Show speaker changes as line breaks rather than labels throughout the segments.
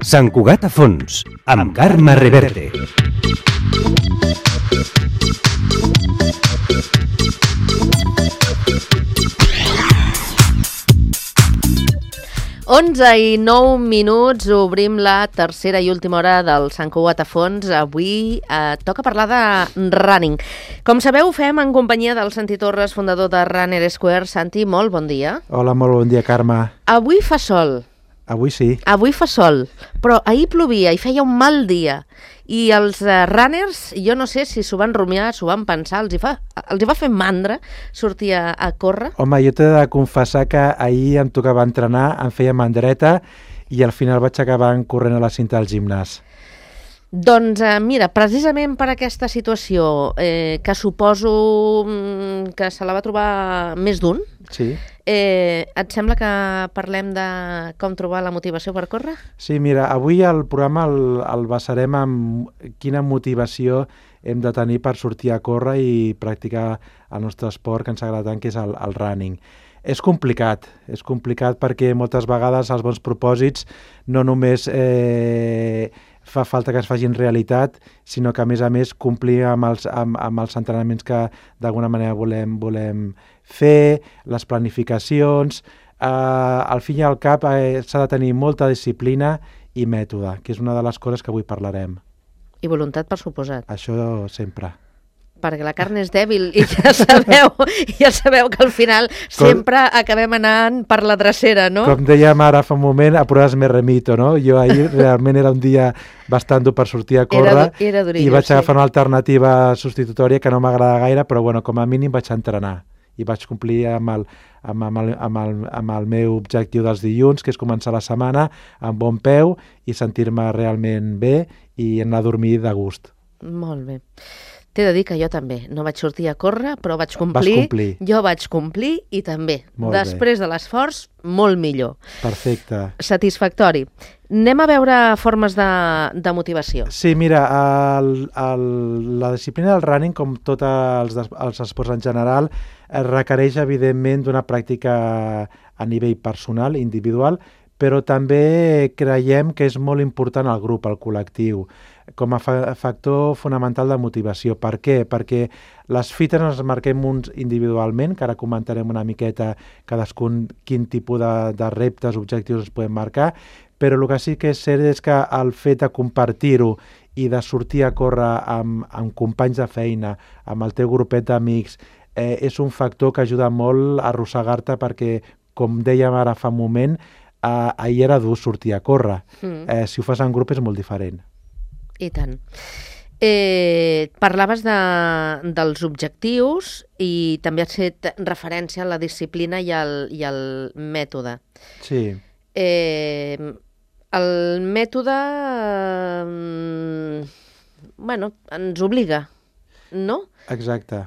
Sant Cugat a fons, amb Carme Reverte.
Onze i 9 minuts, obrim la tercera i última hora del Sant Cugat a fons. Avui toca parlar de running. Com sabeu, ho fem en companyia del Santi Torres, fundador de Runner Square. Santi, molt bon dia.
Hola, molt bon dia, Carme.
Avui fa sol.
Avui sí.
Avui fa sol, però ahir plovia i feia un mal dia. I els runners, jo no sé si s'ho van rumiar, s'ho van pensar, els hi va fer mandra sortir a córrer.
Home, jo t'he de confessar que ahir em tocava entrenar, em feia mandreta i al final vaig acabar corrent a la cinta del gimnàs.
Doncs mira, precisament per aquesta situació, que suposo que se la va trobar més d'un,
sí.
Et sembla que parlem de com trobar la motivació per córrer?
Sí, mira, avui el programa el basarem en quina motivació hem de tenir per sortir a córrer i practicar el nostre esport que ens agrada tant, que és el running. És complicat perquè moltes vegades els bons propòsits no només fa falta que es facin realitat, sinó que a més complir amb els entrenaments que d'alguna manera volem fer, les planificacions. Al fin i al cap s'ha de tenir molta disciplina i mètode, que és una de les coses que avui parlarem.
I voluntat, per suposat.
Això sempre.
Perquè la carn és dèbil i ja sabeu que al final sempre acabem anant per la drecera, no?
Com dèiem ara fa un moment, a pruebas me remito, no? Jo ahir realment era un dia bastant dur per sortir a córrer
era durillo,
i vaig agafar una alternativa substitutòria que no m'agrada gaire, però bueno, com a mínim vaig entrenar i vaig complir amb el meu objectiu dels dilluns, que és començar la setmana amb bon peu i sentir-me realment bé i anar a dormir de gust.
Molt bé. T'he de dir que jo també no vaig sortir a córrer, però vaig complir.
Vas complir.
Jo vaig complir i també.
Molt
després
bé.
de l'esforç, molt millor.
Perfecte.
Satisfactori. Anem a veure formes de motivació.
Sí, mira, la disciplina del running, com tots els esports en general, requereix, evidentment, d'una pràctica a nivell personal, individual, però també creiem que és molt important el grup, el col·lectiu, com a factor fonamental de motivació. Per què? Perquè les fites ens marquem uns individualment, que ara comentarem una miqueta cadascun quin tipus de reptes, objectius ens podem marcar, però el que sí que és cert és que el fet de compartir-ho i de sortir a córrer amb companys de feina, amb el teu grupet d'amics, és un factor que ajuda molt a arrossegar-te perquè, com dèiem ara fa un moment, ahir era dur sortir a córrer. Si ho fas en grup és molt diferent.
I tant. Parlaves dels objectius i també has fet referència a la disciplina i al mètode.
Sí.
El mètode ens obliga, no?
Exacte.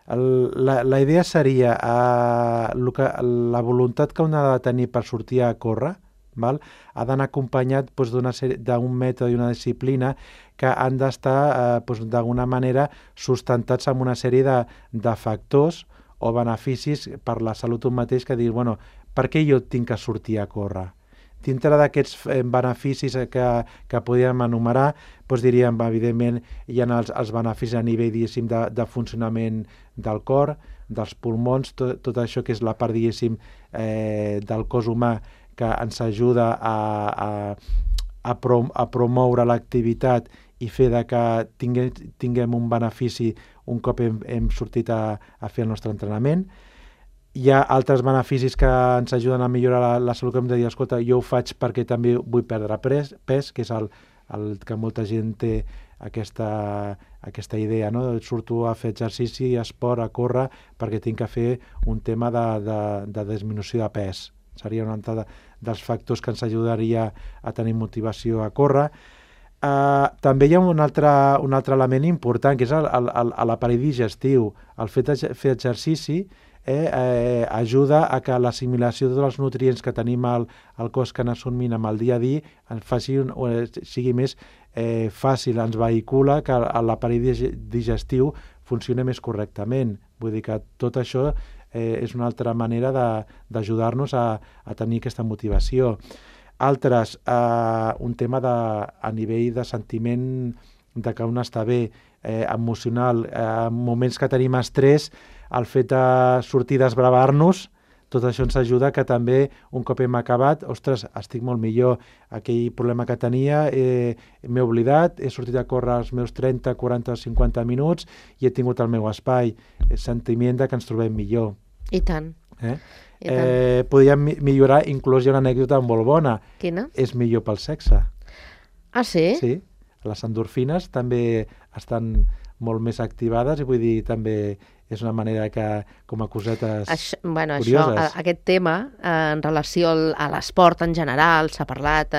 La idea seria la voluntat que un ha de tenir per sortir a córrer, ha d'anar acompanyat d'un mètode i una disciplina que han d'estar d'alguna manera sustentats amb una sèrie de factors o beneficis per la salut un mateix, que dir, per què jo tinc que sortir a córrer? Dintre d'aquests beneficis que podríem enumerar, diríem, evidentment, hi ha els beneficis a nivell, diguéssim, de funcionament del cor, dels pulmons, tot això que és la part, diguéssim, del cos humà que ens ajuda a promoure l'activitat i fer que tinguem un benefici un cop hem sortit a fer el nostre entrenament. Hi ha altres beneficis que ens ajuden a millorar la salut, que hem de dir, escolta, jo ho faig perquè també vull perdre pes, que és el que molta gent té aquesta idea, no? Surto a fer exercici, esport, a córrer, perquè tinc que fer un tema de disminució de pes. Seria un altre dels factors que ens ajudaria a tenir motivació a córrer. També hi ha un altre element important, que és l'aparell digestiu. El fet de fer exercici ajuda a que l'assimilació de tots els nutrients que tenim al cos que n'assumim amb el dia a dia sigui més fàcil, ens vehicula que l'aparell digestiu funcioni més correctament. Vull dir que tot això és una altra manera d'ajudar-nos a tenir aquesta motivació. Altres, un tema a nivell de sentiment de que un està bé, emocional, en moments que tenim estrès, el fet de sortir a desbravar-nos, tot això ens ajuda que també, un cop hem acabat, ostres, estic molt millor, aquell problema que tenia, m'he oblidat, he sortit a córrer els meus 30, 40 o 50 minuts i he tingut el meu espai, el sentiment de que ens trobem millor.
I tant. I tant.
Podríem millorar, inclús hi ha una anècdota molt bona.
Quina?
És millor pel sexe.
Ah, sí?
Sí, les endorfines també estan molt més activades i vull dir, també és una manera que, com a cosetes curioses.
Aquest tema, en relació a l'esport en general, s'ha parlat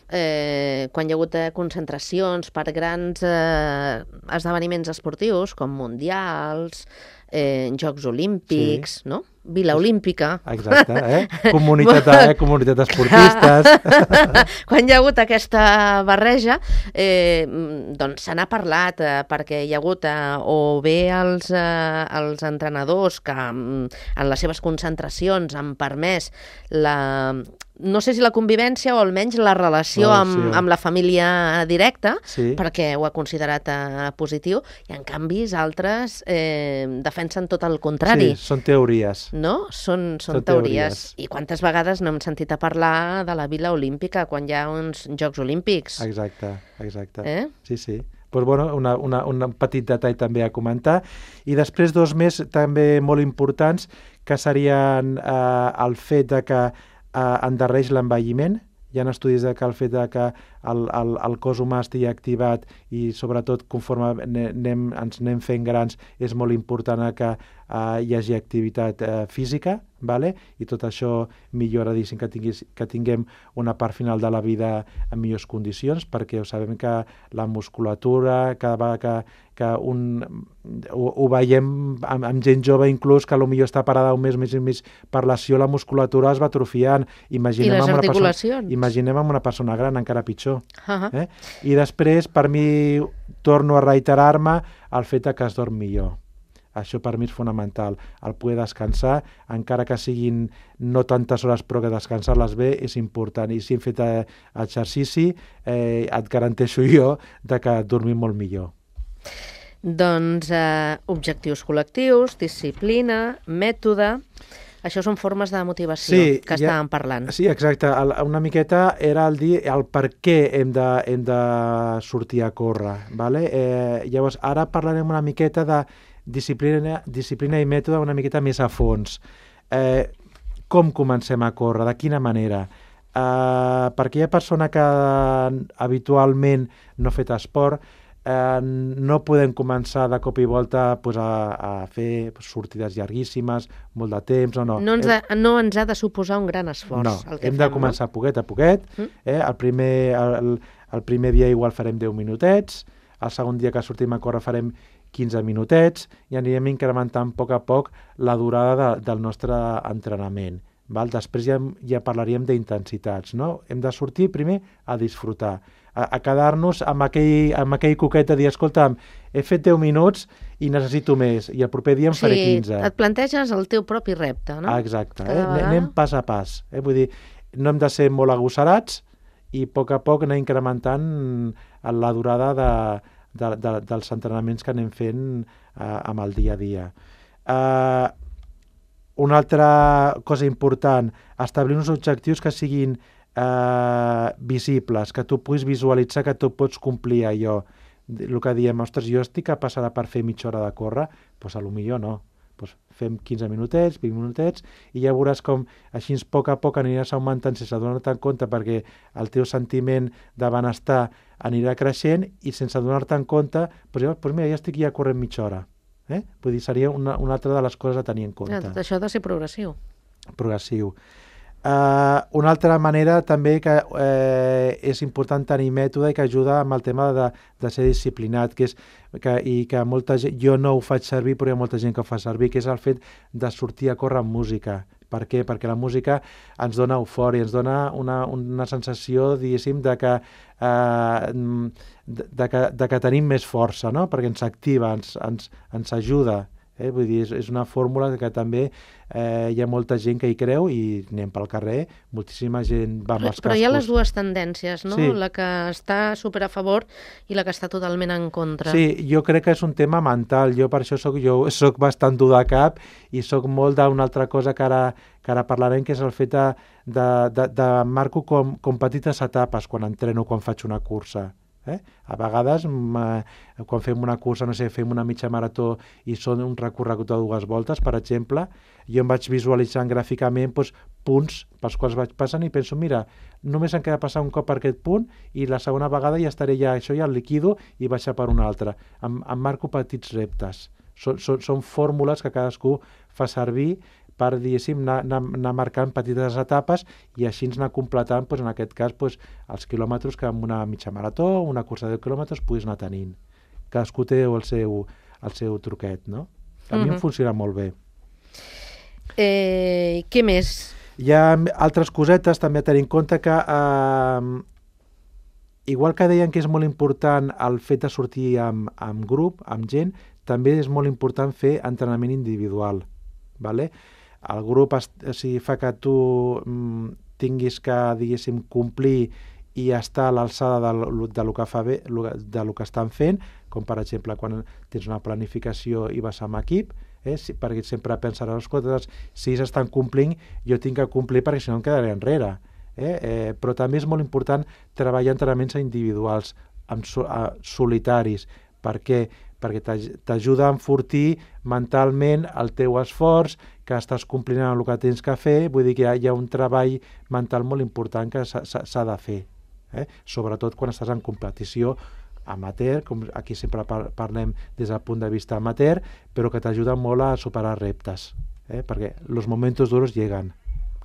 quan hi ha hagut concentracions per grans esdeveniments esportius, com mundials, Jocs Olímpics, no? Vila Olímpica.
Exacte, comunitat d'esportistes.
Quan hi ha hagut aquesta barreja, doncs se n'ha parlat perquè hi ha hagut o bé els entrenadors que en les seves concentracions han permès no sé si la convivència o almenys la relació amb la família directa, perquè ho ha considerat positiu, i en canvi altres defensen tot el contrari.
Sí, són teories.
No? Són teories. I quantes vegades no hem sentit a parlar de la Vila Olímpica quan hi ha uns Jocs Olímpics?
Exacte. Sí. Pues bueno, un petit detall també a comentar. I després dos més també molt importants, que serien el fet de que endarreix l'envelliment. Hi ha estudis que el fet que el cos humà estigui activat i sobretot conforme ens anem fent grans és molt important que hi hagi activitat física, i tot això millora que tinguem una part final de la vida en millors condicions, perquè sabem que la musculatura, cada vegada que ho veiem amb gent jove inclús, que potser està parada un mes i mig per lesió, la musculatura es va atrofiant.
I les articulacions.
Imaginem amb una persona gran, encara pitjor. I després, per mi, torno a reiterar-me el fet que es dorm millor. Això per mi és fonamental. El poder descansar, encara que siguin no tantes hores, però que descansar-les bé és important. I si hem fet exercici, et garanteixo jo que dormim molt millor.
Doncs objectius col·lectius, disciplina, mètode... Això són formes de motivació que estàvem parlant.
Sí, exacte. Una miqueta era el dir el per què hem de sortir a córrer. Llavors, ara parlarem una miqueta de disciplina i mètode una miqueta més a fons. Com comencem a córrer? De quina manera? Per aquella persona que habitualment no ha fet esport, no podem començar de cop i volta a fer sortides llarguíssimes, molt de temps, no.
No ens ha de suposar un gran esforç.
No, hem de començar poquet a poquet. El primer dia igual farem 10 minutets, el segon dia que sortim a córrer farem 15 minutets i anirem incrementant a poc la durada del nostre entrenament. Després ja parlaríem d'intensitats, no? Hem de sortir primer a disfrutar, a quedar-nos amb aquell coquet de dir, escolta'm, he fet 10 minuts i necessito més, i el proper dia en faré 15.
Sí, et planteges el teu propi repte, no?
Exacte, anem pas a pas. Vull dir, no hem de ser molt agosarats i a poc anar incrementant la durada dels entrenaments que anem fent amb el dia a dia. Una altra cosa important, establir uns objectius que siguin visibles, que tu puguis visualitzar que tu pots complir allò. El que diem, ostres, jo estic capaç per fer mitja hora de córrer, doncs potser no. Fem 15 minutets, 20 minutets, i ja veuràs com així a poc aniràs augmentant sense donar-te en compte, perquè el teu sentiment de benestar anirà creixent i sense donar-te en compte, mira, ja estic corrent mitja hora. Vull dir, seria una altra de les coses a tenir en compte.
Tot això ha de ser progressiu.
Progressiu. Una altra manera també que és important tenir mètode i que ajuda amb el tema de ser disciplinat, i que molta gent, jo no ho faig servir però hi ha molta gent que ho fa servir, que és el fet de sortir a córrer amb música. Per què? Perquè la música ens dona eufòria, ens dona una sensació, diguéssim, de que tenim més força, no? Perquè ens activa, ens ajuda. Vull dir, és una fórmula que també hi ha molta gent que hi creu i anem pel carrer, moltíssima gent va amb els cascos.
Però hi ha les dues tendències, no?
Sí.
La que està super a favor i la que està totalment en contra.
Sí, jo crec que és un tema mental. Jo per això soc bastant dur de cap i soc molt d'una altra cosa que ara parlarem, que és el fet de marco com petites etapes quan entreno, quan faig una cursa. A vegades, quan fem una cursa, no sé, fem una mitja marató i són un recorregut de 2 voltes, per exemple, jo em vaig visualitzant gràficament punts pels quals vaig passant i penso, mira, només em queda passar un cop per aquest punt i la segona vegada ja estaré això ja el liquido i baixar per un altre. Em marco petits reptes. Són fórmules que cadascú fa servir per, diguéssim, anar marcant petites etapes i així anar completant, en aquest cas, els quilòmetres que amb una mitja marató o una cursa de 10 quilòmetres puguis anar tenint. Cadascú té el seu truquet, no? A mi em funciona molt bé.
Què més?
Hi ha altres cosetes també a tenir en compte que, igual que deien que és molt important el fet de sortir amb grup, amb gent, també és molt important fer entrenament individual, ¿vale? El grup fa que tu tinguis que, diguéssim, complir i estar a l'alçada del que estan fent, com per exemple quan tens una planificació i vas amb equip, perquè sempre pensaràs, escolta, si ells estan complint, jo tinc que complir perquè si no em quedaré enrere. Però també és molt important treballar entrenaments individuals, solitaris, perquè t'ajuda a enfortir mentalment el teu esforç, que estàs complint amb el que tens que fer, vull dir que hi ha un treball mental molt important que s'ha de fer, sobretot quan estàs en competició amateur, com aquí sempre parlem des del punt de vista amateur, però que t'ajuda molt a superar reptes, perquè els momentos duros lleguen.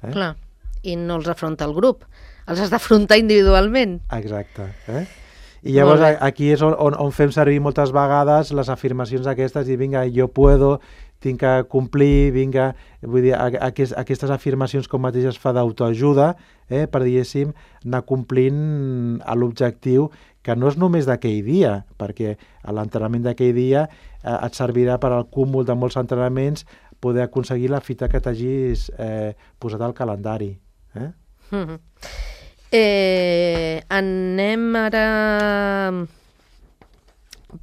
Clar, i no els afronta el grup, els has d'afrontar individualment.
Exacte. I llavors aquí és on fem servir moltes vegades les afirmacions aquestes i vinga, jo puedo, tinc que complir, vinga, vull dir, aquestes afirmacions com mateix es fa d'autoajuda, per, diguéssim, anar complint l'objectiu, que no és només d'aquell dia, perquè l'entrenament d'aquell dia et servirà per al cúmul de molts entrenaments poder aconseguir la fita que t'hagis posat al calendari.
Anem ara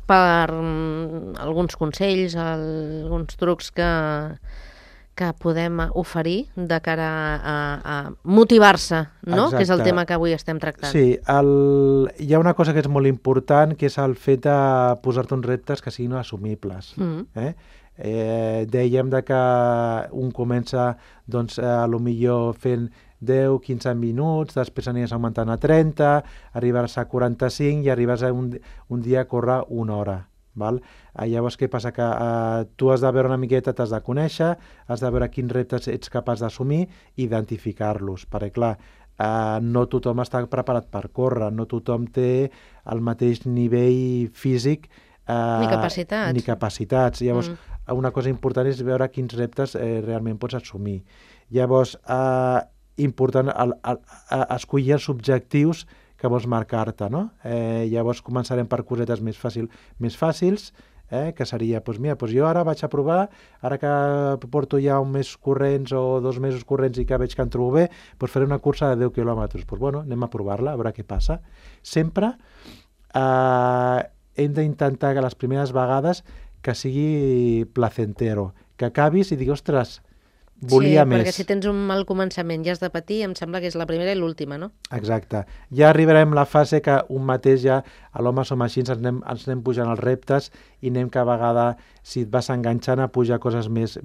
per alguns consells, alguns trucs que podem oferir de cara a motivar-se, no?
Exacte.
Que és el tema que avui estem tractant.
Sí, hi ha una cosa que és molt important, que és el fet de posar-te uns reptes que siguin assumibles. Dèiem que un comença potser fent 10-15 minuts, després aniràs augmentant a 30, arribaràs a 45 i arribes a un dia a córrer 1 hora. Val? Llavors què passa? Que tu has de veure una miqueta, t'has de conèixer, has de veure quins reptes ets capaç d'assumir i identificar-los, perquè clar, no tothom està preparat per córrer, no tothom té el mateix nivell físic
ni capacitats.
Llavors, una cosa important és veure quins reptes realment pots assumir. Llavors, important escollir els objectius que vols marcar-te, no? Llavors començarem per cosetes més fàcils, que seria, jo ara vaig a provar, ara que porto ja un mes corrents o 2 mesos corrents i que veig que em trobo bé, faré una cursa de 10 quilòmetres. Anem a provar-la, a veure què passa. Sempre hem d'intentar que les primeres vegades que sigui placentero, que acabis i diguis, ostres, volia més.
Sí, perquè si tens un mal començament i has de patir, em sembla que és la primera i l'última, no?
Exacte. Ja arribarem a la fase que un mateix ja, a l'home som així, ens anem pujant els reptes i anem cada vegada, si et vas enganxant, a pujar coses més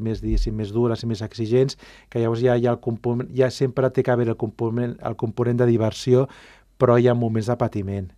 dures i més exigents, que llavors ja hi ha el component, ja sempre té que haver el component de diversió, però hi ha moments de patiment,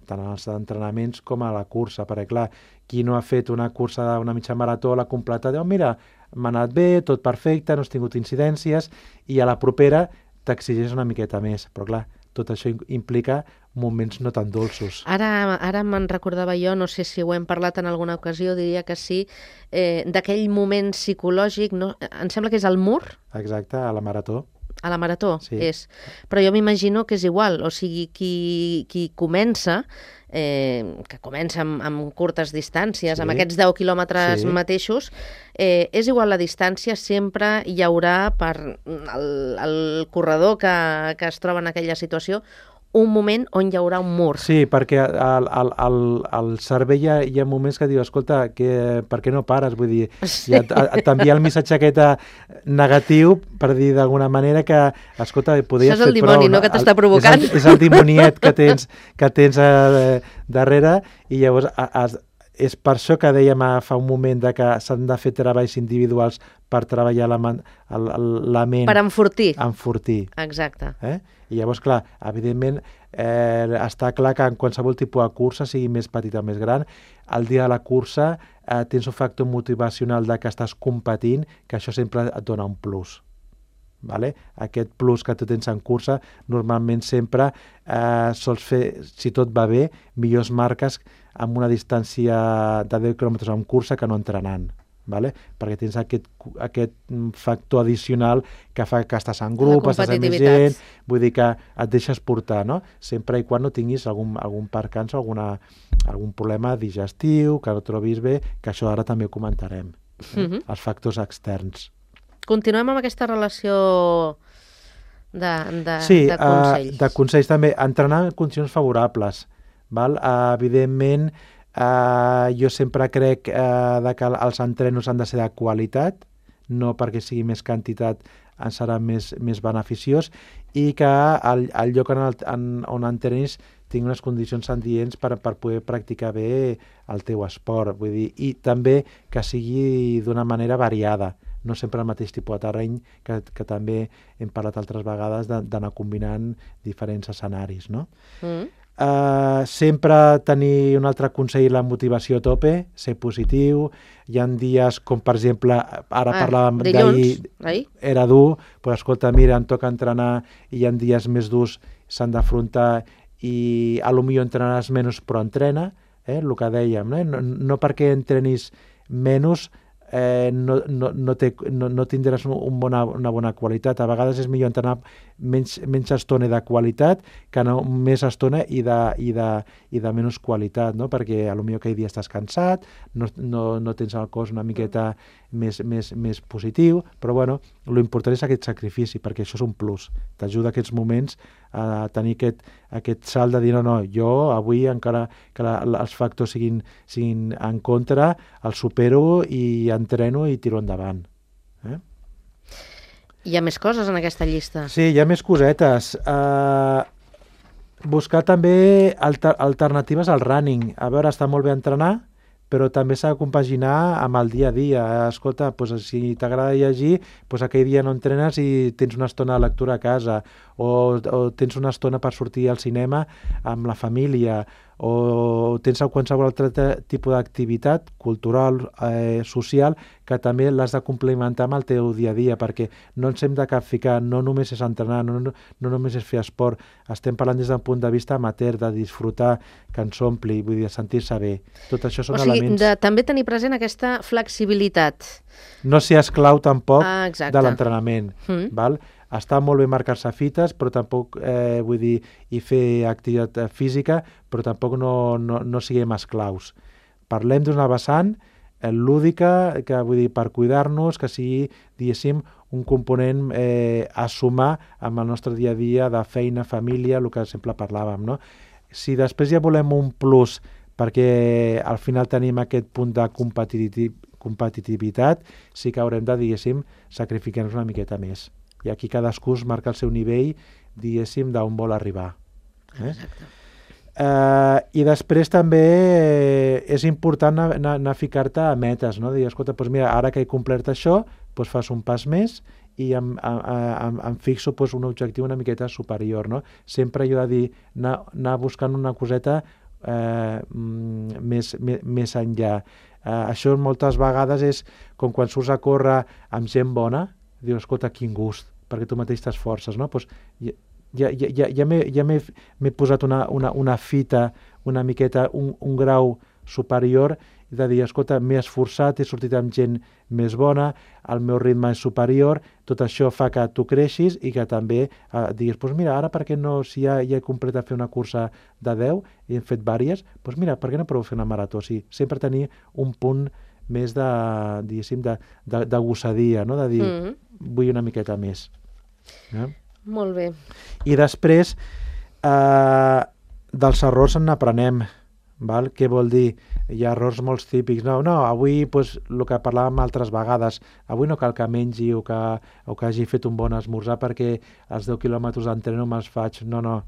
tant als entrenaments com a la cursa, perquè clar, qui no ha fet una cursa d'una mitja marató, l'ha completat, mira, m'ha anat bé, tot perfecte, no has tingut incidències, i a la propera t'exigeix una miqueta més, però clar, tot això implica moments no tan dolços.
Ara me'n recordava jo, no sé si ho hem parlat en alguna ocasió, diria que sí, d'aquell moment psicològic, no? Em sembla que és el mur?
Exacte, a la marató.
A la marató,
Sí.
és. Però jo m'imagino que és igual, o sigui, qui comença, que comença amb curtes distàncies,
Sí.
amb aquests 10 quilòmetres
Sí.
mateixos, és igual la distància, sempre hi haurà per el corredor que es troba en aquella situació un moment on hi haurà un mur.
Sí, perquè al cervell hi ha moments que diu, escolta, per què no pares? Vull dir,
Sí.
t'envia el missatge aquest negatiu per dir d'alguna manera que, escolta, podries
Això és el
fer prou.
dimoni, no?, que t'està provocant.
És el dimoniet que tens darrere, i llavors és per això que dèiem fa un moment que s'han de fer treballs individuals per treballar la ment.
Per enfortir.
Enfortir.
Exacte.
I llavors, clar, evidentment, està clar que en qualsevol tipus de cursa, sigui més petita o més gran, el dia de la cursa tens un factor motivacional de que estàs competint, que això sempre et dona un plus. Vale? Aquest plus que tu tens en cursa, normalment sempre sols fer, si tot va bé, millors marques amb una distància de 10 quilòmetres en cursa que no entrenant. Vale? Perquè tens aquest factor addicional que fa que estàs en grup, estàs amb més gent, vull dir que et deixes portar, no? Sempre i quan no tinguis algun percanç o algun problema digestiu, que no trobis bé, que això ara també ho comentarem, els factors externs.
Continuem amb aquesta relació de consells.
Sí, de consells també. Entrenar en condicions favorables. Val? Evidentment, jo sempre crec que els entrenos han de ser de qualitat, no perquè sigui més quantitat ens serà més beneficiós, i que el lloc on entrenis tingui unes condicions adients per poder practicar bé el teu esport. Vull dir, i també que sigui d'una manera variada, no sempre el mateix tipus de terreny, que també hem parlat altres vegades d'anar combinant diferents escenaris, no? Sempre tenir un altre consell, la motivació a tope, ser positiu. Hi ha dies com, per exemple, ara parlàvem d'ahir, era dur, però escolta, mira, em toca entrenar i hi ha dies més durs, s'han d'afrontar, i potser entrenaràs menys però entrena, el que dèiem, no perquè entrenis menys no tindràs una bona qualitat. A vegades és millor entrenar menys estona de qualitat que no més estona i de menys qualitat, no? Perquè potser aquell dia estàs cansat, no tens el cos una miqueta més positiu, però bueno, l'important és aquest sacrifici, perquè això és un plus, t'ajuda a aquests moments a tenir aquest salt de dir no, jo avui encara que els factors siguin en contra, el supero i entreno i tiro endavant.
Hi ha més coses en aquesta llista.
Sí, hi ha més cosetes. Buscar també alternatives al running. A veure, està molt bé entrenar, però també s'ha de compaginar amb el dia a dia. Escolta, si t'agrada llegir, aquell dia no entrenes i tens una estona de lectura a casa, o tens una estona per sortir al cinema amb la família, o tens qualsevol altre tipus d'activitat cultural, social, que també l'has de complementar amb el teu dia a dia, perquè no ens hem de capficar, no només és entrenar, no només és fer esport, estem parlant des d'un punt de vista amateur, de disfrutar, que ens ompli, vull dir, sentir-se bé. Tot això són elements...
de també tenir present aquesta flexibilitat.
No ser esclau tampoc de l'entrenament, val? Està molt bé marcar-se fites, però tampoc, vull dir, i fer activitat física, però tampoc no siguem esclaus. Parlem d'una vessant lúdica, que vull dir, per cuidar-nos, que sigui, diguéssim, un component a sumar amb el nostre dia a dia de feina, família, el que sempre parlàvem, no? Si després ja volem un plus perquè al final tenim aquest punt de competitivitat, sí que haurem de, diguéssim, sacrificar-nos una miqueta més. I aquí cadascú es marca el seu nivell, diguéssim, d'on vol arribar.
Exacte.
I després també és important anar a ficar-te a metes, no? Dir, escolta, mira, ara que he complert això, fas un pas més i em fixo un objectiu una miqueta superior, no? Sempre jo he de dir, anar buscant una coseta més enllà. Això moltes vegades és com quan surts a córrer amb gent bona, dius, escolta, quin gust, perquè tu mateix t'esforces, no? Ja m'he posat una fita, una miqueta, un grau superior, de dir, escolta, m'he esforçat, he sortit amb gent més bona, el meu ritme és superior, tot això fa que tu creixis i que també diguis, doncs mira, ara per què no, si ja he completat fer una cursa de 10 i hem fet diverses, doncs mira, per què no provo fer una marató? O sigui, sempre tenir un punt més de, diguéssim, de gossadia, no? De dir, vull una miqueta més.
Molt bé.
I després, dels errors en n'aprenem. Val? Què vol dir? Hi ha errors molt típics. No, avui, pues, el que parlàvem altres vegades, avui no cal que mengi o que hagi fet un bon esmorzar perquè els 10 quilòmetres d'entreno me'ls faig. No.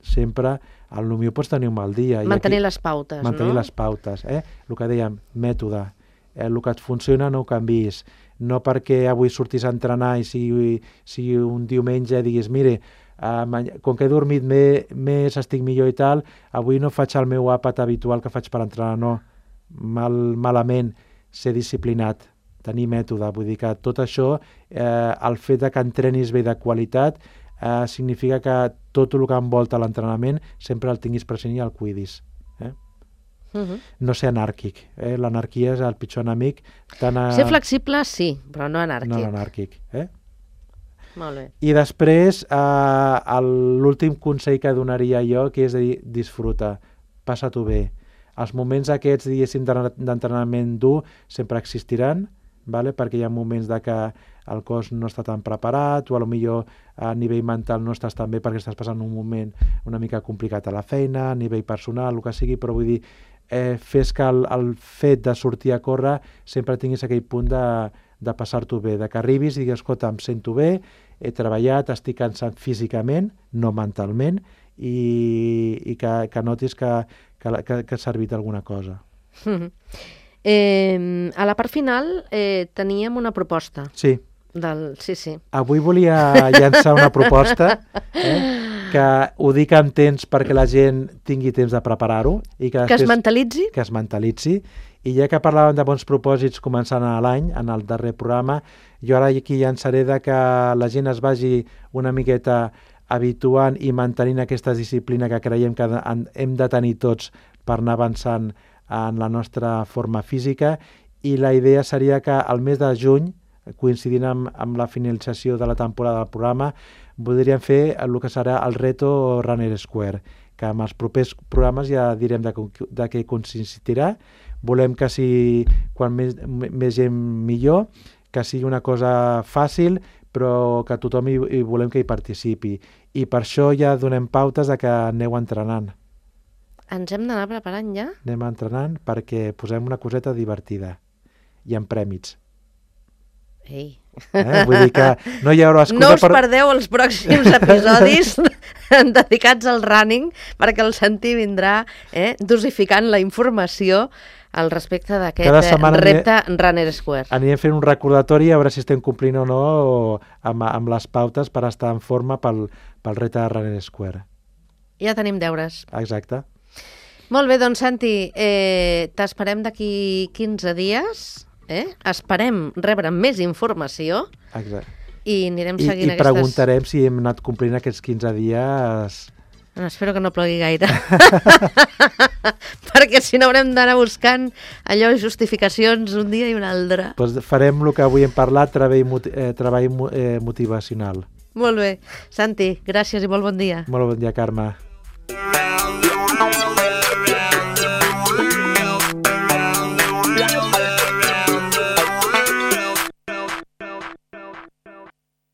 Sempre, al millor pots tenir un mal dia.
Mantenir les pautes, no?
Mantenir les pautes. El que dèiem, mètode. El que et funciona no ho canvis. No perquè avui sortis a entrenar i si un diumenge diguis, mire, com que he dormit més, estic millor i tal, avui no faig el meu àpat habitual que faig per entrenar, no. Malament, ser disciplinat, tenir mètode. Vull dir que tot això, el fet que entrenis bé de qualitat, significa que tot el que envolta l'entrenament sempre el tinguis present i el cuidis. No ser anàrquic. L'anarquia és el pitjor enemic.
Ser flexible, sí, però no anàrquic.
No anàrquic.
Molt bé.
I després, l'últim consell que donaria jo, que és dir, disfruta, passa-t'ho bé. Els moments aquests, diguéssim, d'entrenament dur sempre existiran, vale? Perquè hi ha moments de que el cos no està tan preparat o potser a nivell mental no estàs tan bé perquè estàs passant un moment una mica complicat a la feina, a nivell personal, el que sigui, però vull dir, fes que el fet de sortir a córrer sempre tinguis aquell punt de passar-t'ho bé, de que arribis i digues, escolta, em sento bé, he treballat, estic cansat físicament, no mentalment, i que notis que ha servit alguna cosa.
A la part final teníem una proposta.
Sí.
Sí.
Avui volia llançar una proposta, que ho dic amb temps perquè la gent tingui temps de preparar-ho. I que
es mentalitzi.
Que es mentalitzi. I ja que parlàvem de bons propòsits començant a l'any, en el darrer programa, jo ara aquí llançaré de que la gent es vagi una miqueta habituant i mantenint aquesta disciplina que creiem que hem de tenir tots per anar avançant en la nostra forma física, i la idea seria que al mes de juny, coincidint amb la finalització de la temporada del programa, voldríem fer el que serà el reto Runner Square, que amb els propers programes ja direm de què consistirà. Volem que sigui, quan més gent millor, que sigui una cosa fàcil, però que tothom hi volem que hi participi. I per això ja donem pautes de que aneu entrenant.
Ens hem d'anar preparant ja?
Anem entrenant perquè posem una coseta divertida i amb prèmits.
Ei.
Vull dir que no hi haurà excusa.
No us perdeu els pròxims episodis dedicats al running, perquè el Santi vindrà dosificant la informació al respecte d'aquest repte Runner Square.
Anirem fent un recordatori a veure si estem complint o no amb les pautes per estar en forma pel repte Runner Square.
Ja tenim deures.
Exacte.
Molt bé, doncs Santi, t'esperem d'aquí 15 dies. Esperem rebre més informació.
Exacte.
I anirem seguint
I preguntarem si hem anat complint aquests 15 dies.
No, espero que no plogui gaire. Perquè si no haurem d'anar buscant allò, justificacions un dia i un altre.
Pues farem el que avui hem parlat, treball motivacional.
Molt bé. Santi, gràcies i molt bon dia.
Molt bon dia, Carme.